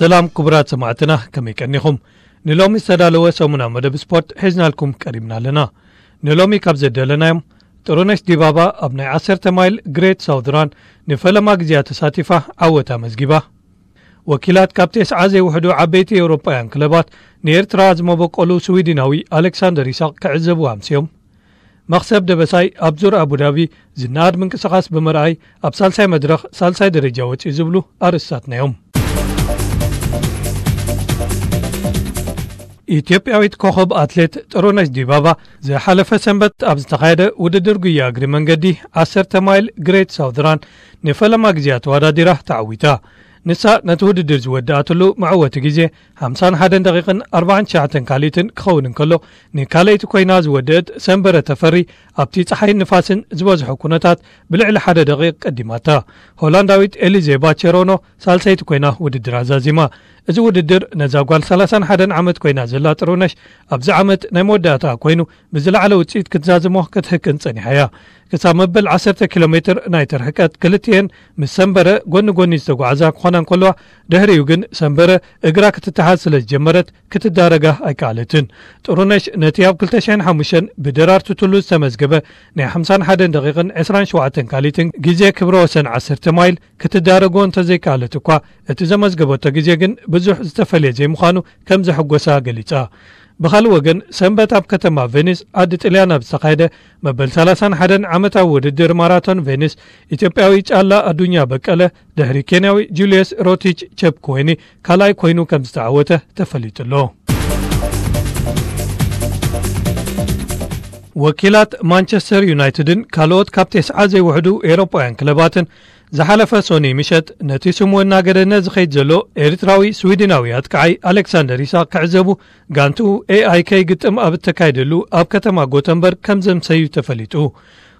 ሰላም ክቡራት ሰማዕትና፣ ከመይ ቀኒኹም? ንሎሚ ዝተዳለወ ሰሙና መደብ ስፖርት ሒዝናልኩም ቀሪብና ኣለና። ንሎሚ ካብ ዘደለናዮም፣ ጥሩነሽ ዲባባ ኣብ ናይ ዓሰርተ ማይል ግሬት ሳውዝ ራን ንፈለማ ግዜያ ተሳቲፋ ዓወት ኣመዝጊባ። ወኪላት ካብ ተስዓ ዘይውሕዱ ዓበይቲ ኤውሮጳውያን ክለባት ንኤርትራ ዝመበቆሉ ስዊድናዊ ኣሌክሳንደር ይስሐቅ ክዕዘቡ ኣምስዮም። መኽሰብ ደበሳይ ኣብ ዙር ኣቡዳቢ ዝነኣድ ምንቅስቓስ ብምርኣይ ኣብ ሳልሳይ መድረኽ ሳልሳይ ደረጃ ወጺኡ ዝብሉ ኣርእስታትና እዮም። ኢትዮጵያዊት ኮኸብ ኣትሌት ጥሩነሽ ዲባባ ዝሓለፈ ሰንበት ኣብ ዝተኻየደ ውድድር ጉያ እግሪ መንገዲ ዓሰርተ ማይል ግሬት ሳውዝ ራን ንፈለማ ግዜያ ተወዳዲራ ተዓዊታ። ንሳ ነቲ ውድድር ዝወደኣትሉ መዕወቲ ግዜ ሓምሳን ሓደን ደቂቕን ኣርባዓን ትሽዓተን ካልኢትን ክኸውን እንከሎ፣ ንካልኣይቲ ኮይና ዝወደአት ሰንበረ ተፈሪ ኣብቲ ጸሓይን ንፋስን ዝበዝሖ ኩነታት ብልዕሊ ሓደ ደቂቕ ቀዲማታ። ሆላንዳዊት ኤሊዜ ባቸሮኖ ሳልሰይቲ ኮይና ውድድር ኣዛዚማ። እዚ ውድድር ነዛ ጓል ሰላሳን ሓደን ዓመት ኮይና ዘላ ጥሩነሽ ኣብዚ ዓመት ናይ መወዳእታ ኮይኑ ብዝለዓለ ውጽኢት ክትዛዝሞ ክትህቅን ጸኒሓ እያ። ክሳብ መበል ዓሰርተ ኪሎ ሜትር ናይቲ ርሕቀት ክልቲኤን ምስ ሰንበረ ጎኒ ጎኒ ዝተጓዕዛ ክኾና እንከለዋ፣ ድሕሪኡ ግን ሰንበረ እግራ ክትተሓዝ ስለ ዝጀመረት ክትዳረጋ ኣይከኣለትን። ጥሩነሽ ነቲ ኣብ ክልተ ሽሕን ሓሙሽተን ብደራርቱ ቱሉ ዝተመዝገበ ናይ ሓምሳን ሓደን ደቂቕን ዕስራን ሸውዓተን ካልኢትን ግዜ ክብረ ወሰን ዓሰርተ ማይል ክትዳረጎ እንተዘይከኣለት እኳ፣ እቲ ዘመዝገበቶ ግዜ ግን ብዙሕ ዝተፈልየ ዘይምዃኑ ከም ዘሐጎሳ ገሊጻ። ብኻልእ ወገን፣ ሰንበት ኣብ ከተማ ቬኒስ፣ ዓዲ ጥልያን ኣብ ዝተኻየደ መበል ሰላሳን ሓደን ዓመታዊ ውድድር ማራቶን ቬኒስ፣ ኢትዮጵያዊ ጫላ ኣዱኛ በቀለ ድሕሪ ኬንያዊ ጁልየስ ሮቲች ቸፕኩዌኒ ካልኣይ ኮይኑ ከም ዝተዓወተ ተፈሊጡ ኣሎ። ወኪላት ማንቸስተር ዩናይትድን ካልኦት ካብ ተስዓ ዘይውሕዱ ኤውሮጳውያን ክለባትን ዝሓለፈ ሶኒ ምሸት ነቲ ስሙ እናገደነ ዝኸይድ ዘሎ ኤርትራዊ ስዊድናዊ ኣጥቃዓይ ኣሌክሳንደር ኢሳቅ ክዕዘቡ ጋንቱ ኤኣይከይ ግጥም ኣብ እተካየደሉ ኣብ ከተማ ጎተንበርግ ከም ዘምሰዩ ተፈሊጡ።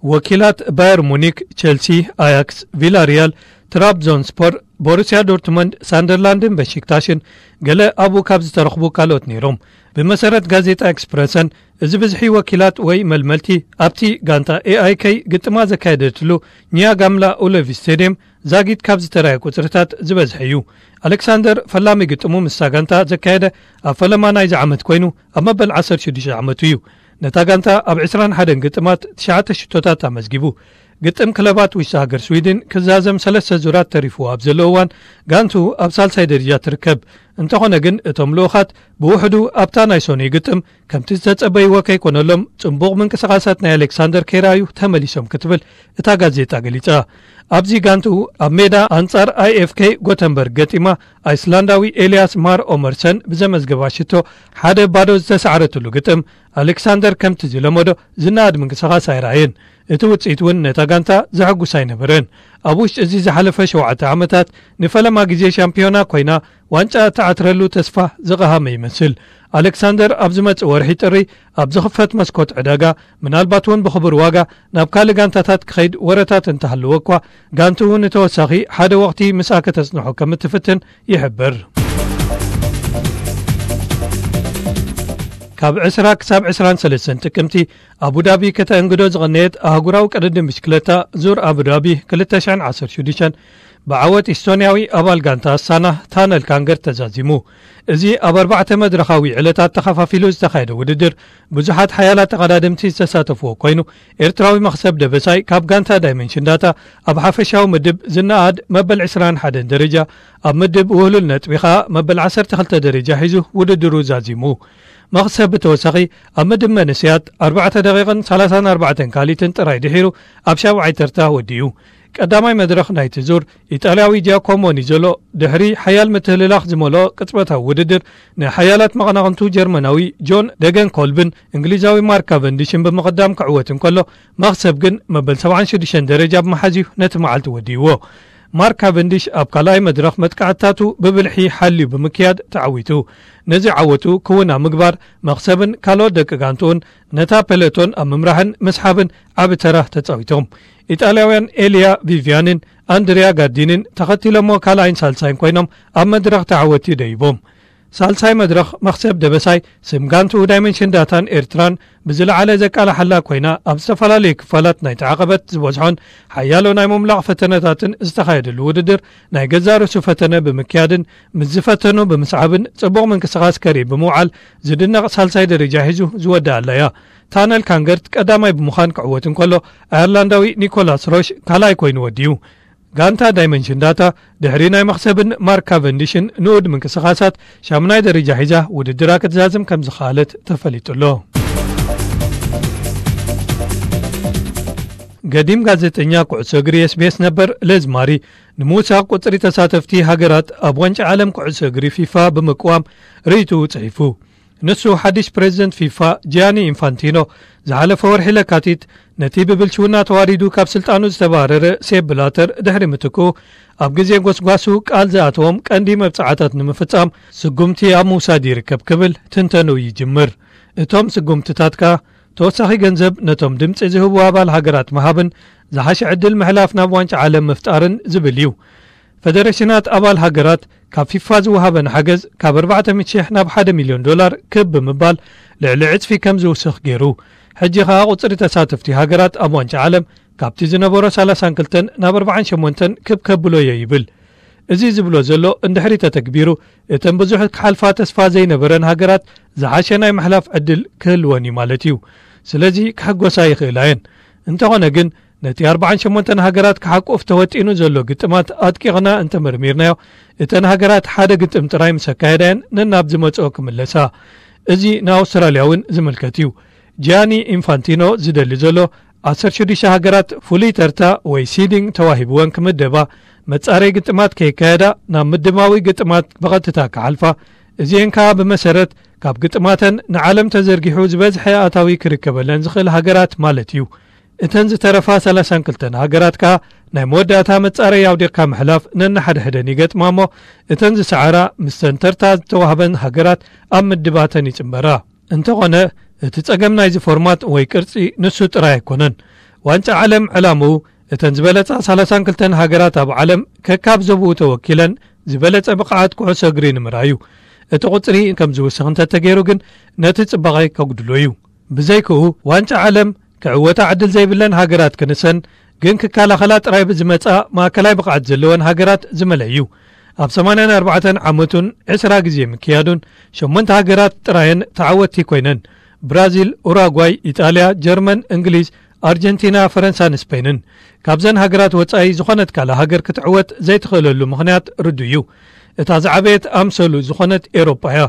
ወኪላት ባየር ሙኒክ፣ ቸልሲ፣ ኣያክስ፣ ቪላሪያል፣ ትራብዞንስፖር፣ ቦሩሲያ ዶርትመንድ፣ ሳንደርላንድን በሺክታሽን ገለ ኣብኡ ካብ ዝተረኽቡ ካልኦት ነይሮም። ብመሰረት ጋዜጣ ኤክስፕረሰን፣ እዚ ብዝሒ ወኪላት ወይ መልመልቲ ኣብቲ ጋንታ ኤኣይከይ ግጥማ ዘካየደትሉ ኒያጋምላ ኡለቪ ስቴድየም ዛጊት ካብ ዝተራየ ቁጽርታት ዝበዝሐ እዩ። ኣሌክሳንደር ፈላሚ ግጥሙ ምስታ ጋንታ ዘካየደ ኣብ ፈለማ ናይዚ ዓመት ኮይኑ ኣብ መበል ዓሰርተ ሽዱሽተ ዓመቱ እዩ። ነታ ጋንታ ኣብ ዕስራን ሓደን ግጥማት ትሽዓተ ሽቶታት ኣመዝጊቡ። ግጥም ክለባት ውሽጢ ሃገር ስዊድን ክዛዘም ሰለስተ ዙራት ተሪፍዎ ኣብ ዘሎ እዋን፣ ጋንቱ ኣብ ሳልሳይ ደረጃ ትርከብ። እንተኾነ ግን፣ እቶም ልኡኻት ብውሕዱ ኣብታ ናይ ሶኒ ግጥም ከምቲ ዝተጸበይዎ ከይኮነሎም፣ ጽቡቕ ምንቅስቓሳት ናይ ኣሌክሳንደር ከይረኣዩ ተመሊሶም ክትብል እታ ጋዜጣ ገሊጻ። ኣብዚ ጋንቱ ኣብ ሜዳ ኣንጻር ኣይኤፍኬ ጎተንበርግ ገጢማ፣ ኣይስላንዳዊ ኤልያስ ማር ኦመርሰን ብዘመዝገባ ሽቶ ሓደ ባዶ ዝተሳዕረትሉ ግጥም፣ ኣሌክሳንደር ከምቲ ዝለመዶ ዝነኣድ ምንቅስቓስ ኣይረኣየን። እቲ ውጽኢት እውን ነታ ጋንታ ዘሐጉስ ኣይነበረን። ኣብ ውሽጢ እዚ ዝሓለፈ ሸውዓተ ዓመታት ንፈለማ ግዜ ሻምፒዮና ኮይና ዋንጫ እትዓትረሉ ተስፋ ዝቐሃመ ይመስል። ኣሌክሳንደር ኣብ ዝመጽእ ወርሒ ጥሪ ኣብ ዝኽፈት መስኮት ዕዳጋ፣ ምናልባት እውን ብኽቡር ዋጋ ናብ ካልእ ጋንታታት ክኸይድ ወረታት እንተሃለወ እኳ፣ ጋንትኡ ንተወሳኺ ሓደ ወቕቲ ምስኣ ከተጽንሖ ከም እትፍትን ይሕብር። ካብ ዕስራ ክሳብ ዕስራን ሰለስተን ጥቅምቲ ኣቡዳቢ ከተእንግዶ ዝቐነየት ኣህጉራዊ ቅድድም ብሽክለታ ዙር ኣቡዳቢ ክልተ ሽሕን ዓሰርተ ሽዱሽተን ብዓወት ኢስቶንያዊ ኣባል ጋንታ ኣስታና ታነል ካንገር ተዛዚሙ። እዚ ኣብ ኣርባዕተ መድረኻዊ ዕለታት ተኸፋፊሉ ዝተኻየደ ውድድር ብዙሓት ሓያላት ተቐዳደምቲ ዝተሳተፍዎ ኮይኑ፣ ኤርትራዊ መኽሰብ ደበሳይ ካብ ጋንታ ዳይመንሽን ዳታ ኣብ ሓፈሻዊ ምድብ ዝነኣድ መበል ዕስራን ሓደን ደረጃ፣ ኣብ ምድብ ውህሉል ነጥቢ ኸኣ መበል ዓሰርተ ክልተ ደረጃ ሒዙ ውድድሩ ዛዚሙ። መኽሰብ ብተወሳኺ ኣብ ምድብ መንእሰያት ኣርባዕተ ደቂቕን ሰላሳን ኣርባዕተን ካልኢትን ጥራይ ድሒሩ ኣብ ሻብዓይ ተርታ ወዲኡ። ቀዳማይ መድረኽ ናይቲ ዙር ኢጣልያዊ ጂያኮሞ ኒዞሎ ድሕሪ ሓያል ምትህልላኽ ዝመልኦ ቅጽበታዊ ውድድር ንሓያላት መቐናቕንቱ ጀርመናዊ ጆን ደገን ኮልብን እንግሊዛዊ ማርክ ካቨንዲሽን ብምቕዳም ክዕወት እንከሎ፣ መኽሰብ ግን መበል ሰብዓን ሽዱሽተን ደረጃ ብምሓዝ እዩ ነቲ መዓልቲ ወዲእዎ። ማርክ ካቨንዲሽ ኣብ ካልኣይ መድረኽ መጥቃዕትታቱ ብብልሒ ሓልዩ ብምክያድ ተዓዊቱ። ነዚ ዓወቱ ክውን ኣብ ምግባር መኽሰብን ካልኦት ደቂ ጋንትኡን ነታ ፔሎቶን ኣብ ምምራሕን ምስሓብን ዓቢ ተራ ተጻዊቶም። ኢጣልያውያን ኤልያ ቪቪያንን ኣንድሪያ ጋርዲንን ተኸቲሎሞ ካልኣይን ሳልሳይን ኮይኖም ኣብ መድረኽ ተዓወቲ ደይቦም። ሳልሳይ መድረኽ መኽሰብ ደበሳይ፣ ስም ጋንትኡ ዳይመንሽን ዳታን ኤርትራን ብዝለዓለ ዘቃላሓላ ኮይና፣ ኣብ ዝተፈላለዩ ክፋላት ናይቲ ዓቐበት ዝበዝሖን ሓያሎ ናይ ምምላቕ ፈተነታትን ዝተኻየደሉ ውድድር፣ ናይ ገዛእ ርእሱ ፈተነ ብምክያድን ምስ ዝፈተኑ ብምስዓብን ጽቡቕ ምንቅስቓስ ከርኢ ብምውዓል ዝድነቕ ሳልሳይ ደረጃ ሒዙ ዝወደኣላ እያ። ታነል ካንገርት ቀዳማይ ብምዃን ክዕወት እንከሎ፣ ኣየርላንዳዊ ኒኮላስ ሮሽ ካልኣይ ኮይኑ ወዲኡ። ጋንታ ዳይመንሽን ዳታ ድሕሪ ናይ መኽሰብን ማርክ ካቨንዲሽን ንኡድ ምንቅስቓሳት ሻምናይ ደረጃ ሒዛ ውድድራ ክትዛዝም ከም ዝኸኣለት ተፈሊጡ ኣሎ። ገዲም ጋዜጠኛ ኩዕሶ እግሪ ኤስቢኤስ ነበር ለዝማሪ ንምውሳኽ ቁጽሪ ተሳተፍቲ ሃገራት ኣብ ዋንጫ ዓለም ኩዕሶ እግሪ ፊፋ ብምቅዋም ርእይትኡ ጽሒፉ። ንሱ ሓድሽ ፕሬዚደንት ፊፋ ጂያኒ ኢንፋንቲኖ ዝሓለፈ ወርሒ ለካቲት ነቲ ብብልሽውና ተዋሪዱ ካብ ስልጣኑ ዝተባረረ ሴፕ ብላተር ድሕሪ ምትክኡ ኣብ ግዜ ጎስጓሱ ቃል ዝኣተዎም ቀንዲ መብጽዓታት ንምፍጻም ስጉምቲ ኣብ ምውሳድ ይርከብ ክብል ትንተኑ ይጅምር። እቶም ስጉምትታት ከኣ ተወሳኺ ገንዘብ ነቶም ድምጺ ዝህቡ ኣባል ሃገራት ምሃብን ዝሓሸ ዕድል ምሕላፍ ናብ ዋንጫ ዓለም ምፍጣርን ዝብል እዩ። ፈደረሽናት ኣባል ሃገራት ካብ ፊፋ ዝወሃበን ሓገዝ ካብ ኣርባዕተ ሚእቲ ሺሕ ናብ ሓደ ሚልዮን ዶላር ክብ ብምባል ልዕሊ ዕጽፊ ከም ዝውስኽ ገይሩ። ሕጂ ኸኣ ቁጽሪ ተሳተፍቲ ሃገራት ኣብ ዋንጫ ዓለም ካብቲ ዝነበሮ ሰላሳን ክልተን ናብ ኣርባዓን ሸሞንተን ክብ ከብሎ እየ ይብል። እዚ ዝብሎ ዘሎ እንድሕሪ ተተግቢሩ፣ እተን ብዙሕ ክሓልፋ ተስፋ ዘይነበረን ሃገራት ዝሓሸ ናይ ምሕላፍ ዕድል ክህልወን እዩ ማለት እዩ። ስለዚ ክሕጎሳ ይኽእላ እየን። እንተኾነ ግን ነቲ ኣርባዓን ሸሞንተን ሃገራት ክሓቁፍ ተወጢኑ ዘሎ ግጥማት ኣጥቂቕና እንተመርሚርናዮ፣ እተን ሃገራት ሓደ ግጥም ጥራይ ምስ ኣካየዳ እየን ነናብ ዝመጽኦ ክምለሳ። እዚ ንኣውስትራልያ እውን ዝምልከት እዩ። ጂያኒ ኢንፋንቲኖ ዝደሊ ዘሎ ዓሰርተ ሽዱሽተ ሃገራት ፍሉይ ተርታ ወይ ሲዲንግ ተዋሂብወን ክምደባ፣ መጻረይ ግጥማት ከይካየዳ ናብ ምድማዊ ግጥማት ብቐጥታ ክሓልፋ፣ እዚኤን ከኣ ብመሰረት ካብ ግጥማተን ንዓለም ተዘርጊሑ ዝበዝሐ ኣታዊ ክርከበለን ዝኽእል ሃገራት ማለት እዩ። እተን ዝተረፋ ሰላሳን ክልተን ሃገራት ከኣ ናይ መወዳእታ መጻረይ ኣውዲቕካ ምሕላፍ ነንሓድሕደን ይገጥማ እሞ፣ እተን ዝሰዓራ ምስተን ተርታ ዝተዋህበን ሃገራት ኣብ ምድባተን ይጽንበራ። እንተኾነ፣ እቲ ጸገም ናይዚ ፎርማት ወይ ቅርጺ ንሱ ጥራይ ኣይኮነን። ዋንጫ ዓለም ዕላምኡ እተን ዝበለጻ ሰላሳን ክልተን ሃገራት ኣብ ዓለም ከካብ ዞብኡ ተወኪለን ዝበለጸ ብቕዓት ኩዕሶ እግሪ ንምርኣይ እዩ። እቲ ቁጽሪ ከም ዝውስኽ እንተተገይሩ ግን ነቲ ጽባቐ ከጉድሎ እዩ። ብዘይክኡ ዋንጫ ዓለም ክዕወታ ዕድል ዘይብለን ሃገራት ክንሰን ግን ክከላኸላ ጥራይ ብዝመጻ ማእከላይ ብቕዓት ዘለወን ሃገራት ዝመለ እዩ። ኣብ ሰማንያን ኣርባዕተን ዓመቱን ዕስራ ግዜ ምክያዱን ሸሞንተ ሃገራት ጥራየን ተዓወትቲ ኮይነን። ብራዚል፣ ኡራጓይ፣ ኢጣልያ፣ ጀርመን፣ እንግሊዝ፣ ኣርጀንቲና፣ ፈረንሳን ስፔንን። ካብዘን ሃገራት ወጻኢ ዝኾነት ካልእ ሃገር ክትዕወት ዘይትኽእለሉ ምኽንያት ርዱእ እዩ። እታ ዝዓበየት ኣምሰሉ ዝኾነት ኤውሮጳ እያ።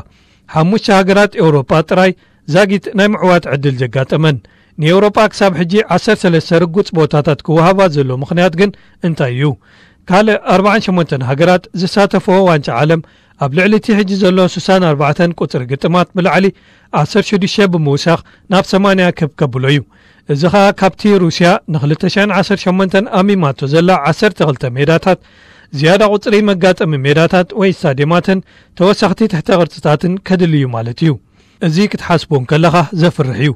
ሓሙሽተ ሃገራት ኤውሮጳ ጥራይ ዛጊት ናይ ምዕዋት ዕድል ዘጋጠመን። ንኤውሮጳ ክሳብ ሕጂ ዓሰርተ ሰለስተ ርጉጽ ቦታታት ክወሃባ ዘሎ ምኽንያት ግን እንታይ እዩ? ካልእ ኣርባዓን ሸሞንተን ሃገራት ዝሳተፈኦ ዋንጫ ዓለም ኣብ ልዕሊ እቲ ሕጂ ዘሎ ስሳን ኣርባዕተን ቁጽሪ ግጥማት ብላዕሊ ዓሰርተ ሽዱሽተ ብምውሳኽ ናብ ሰማንያ ክብ ከብሎ እዩ። እዚ ኸኣ ካብቲ ሩስያ ን ክልተ ሽሕን ዓሰርተ ሸሞንተን ኣሚማቶ ዘላ ዓሰርተ ክልተ ሜዳታት ዝያዳ ቁጽሪ መጋጠሚ ሜዳታት ወይ ስታድየማትን ተወሰኽቲ ትሕተ ቅርጽታትን ከድሊ እዩ ማለት እዩ። እዚ ክትሓስቦ እንከለኻ ዘፍርሕ እዩ።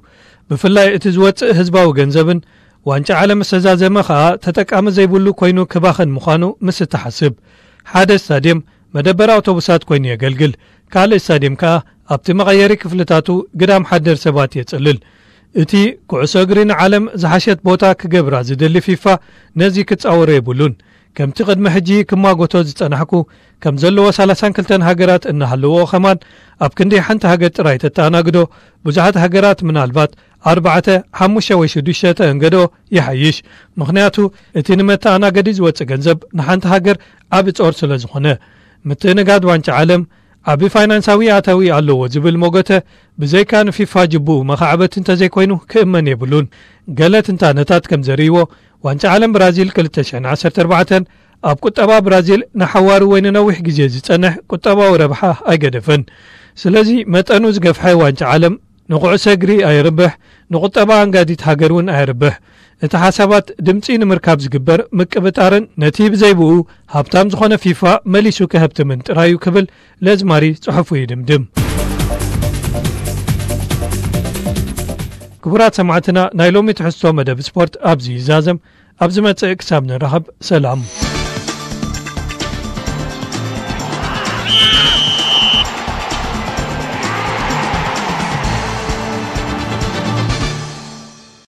ብፍላይ እቲ ዝወጽእ ህዝባዊ ገንዘብን ዋንጫ ዓለም ዝተዛዘመ ኸኣ ተጠቃሚ ዘይብሉ ኮይኑ ክባኽን ምዃኑ ምስ እትሓስብ። ሓደ ስታድየም መደበር ኣውቶቡሳት ኮይኑ የገልግል። ካልእ ስታድየም ከኣ ኣብቲ መቐየሪ ክፍልታቱ ግዳም ሓደር ሰባት የጽልል። እቲ ኩዕሶ እግሪ ንዓለም ዝሓሸት ቦታ ክገብራ ዝደሊ ፊፋ ነዚ ክጻወሮ የብሉን። ከምቲ ቅድሚ ሕጂ ክማጎቶ ዝጸናሕኩ፣ ከም ዘለዎ ሰላሳን ክልተን ሃገራት እናሃለዎ ኸማን ኣብ ክንዲ ሓንቲ ሃገር ጥራይ ተተኣናግዶ፣ ብዙሓት ሃገራት ምናልባት ኣርባዕተ፣ ሓሙሽተ ወይ ሽዱሽተ ተእንገዶ ይሓይሽ። ምኽንያቱ እቲ ንመተኣናገዲ ዝወጽእ ገንዘብ ንሓንቲ ሃገር ዓቢ ጾር ስለ ዝኾነ። ምትእንጋድ ዋንጫ ዓለም ዓቢ ፋይናንሳዊ ኣታዊ ኣለዎ ዝብል መጎተ ብዘይካ ንፊፋ ጅቡኡ መኻዕበት እንተዘይኮይኑ ክእመን የብሉን። ገለ ትንታነታት ከም ዘርእይዎ ዋንጫ ዓለም ብራዚል ክልተ ሽሕን ዓሰርተ ኣርባዕተን ኣብ ቁጠባ ብራዚል ንሓዋሩ ወይ ንነዊሕ ግዜ ዝጸንሕ ቁጠባዊ ረብሓ ኣይገደፈን። ስለዚ መጠኑ ዝገፍሐ ዋንጫ ዓለም ንኩዕሶ እግሪ ኣየርብሕ፣ ንቁጠባ ኣንጋዲት ሃገር እውን ኣየርብሕ። እቲ ሓሳባት ድምጺ ንምርካብ ዝግበር ምቅብጣርን ነቲ ብዘይብኡ ሃብታም ዝኾነ ፊፋ መሊሱ ከህብትምን ጥራይ እዩ ክብል ለዝማሪ ጽሑፉ ይድምድም። ክቡራት ሰማዕትና፣ ናይ ሎሚ ትሕዝቶ መደብ ስፖርት ኣብዚ ይዛዘም። ኣብ ዝመጽእ ክሳብ ንራኸብ፣ ሰላም።